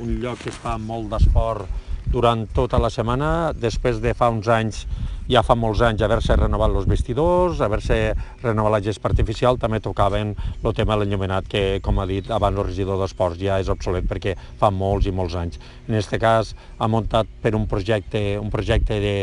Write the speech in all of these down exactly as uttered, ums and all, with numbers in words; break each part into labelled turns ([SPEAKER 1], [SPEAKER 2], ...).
[SPEAKER 1] un lloc que es fa molt d'esport durant tota la setmana, després de fa uns anys, ja fa molts anys, haver-se renovat els vestidors, haver-se renovat la gespa artificial, també tocaven el tema de l'enllumenat, que, com ha dit abans el regidor d'Esports, ja és obsolet perquè fa molts i molts anys. En aquest cas, ha muntat per un projecte, un projecte de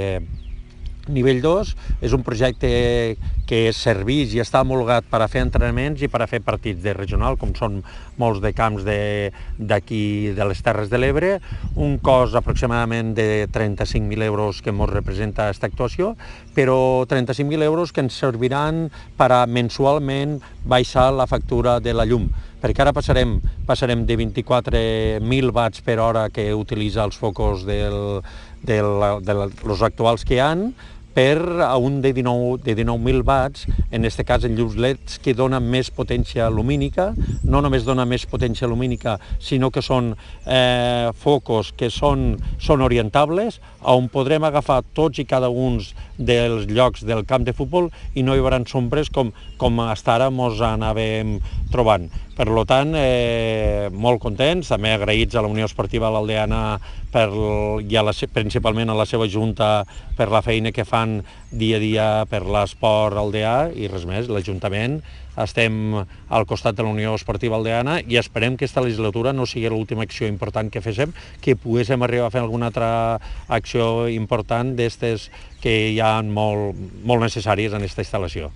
[SPEAKER 1] nivell dos, és un projecte que serveix i està homologat per a fer entrenaments i per a fer partits de regional, com són molts de camps d'aquí, de les Terres de l'Ebre, un cost aproximadament de trenta-cinc mil euros que ens representa aquesta actuació, però trenta-cinc mil euros que ens serviran per a mensualment baixar la factura de la llum, perquè ara passarem, passarem de vint-i-quatre mil watts per hora que utilitza els focus del, del, de los actuals que hi ha, per a un de dinou mil watts, en aquest cas en llums L E Ds, que dona més potència lumínica, no només dona més potència lumínica, sinó que són eh, focus que són, són orientables, on podrem agafar tots i cada un dels llocs del camp de futbol i no hi haurà sombres com, com fins ara ens anàvem trobant. Per tant, eh, molt contents, també agraïts a la Unió Esportiva L'Aldeana per, i a la, principalment a la seva junta per la feina que fan dia a dia per l'esport aldeà i res més, l'Ajuntament estem al costat de la Unió Esportiva Aldeana i esperem que aquesta legislatura no sigui l'última acció important que féssim, que poguéssim arribar a fer alguna altra acció important d'estes que hi ha molt, molt necessàries en aquesta instal·lació.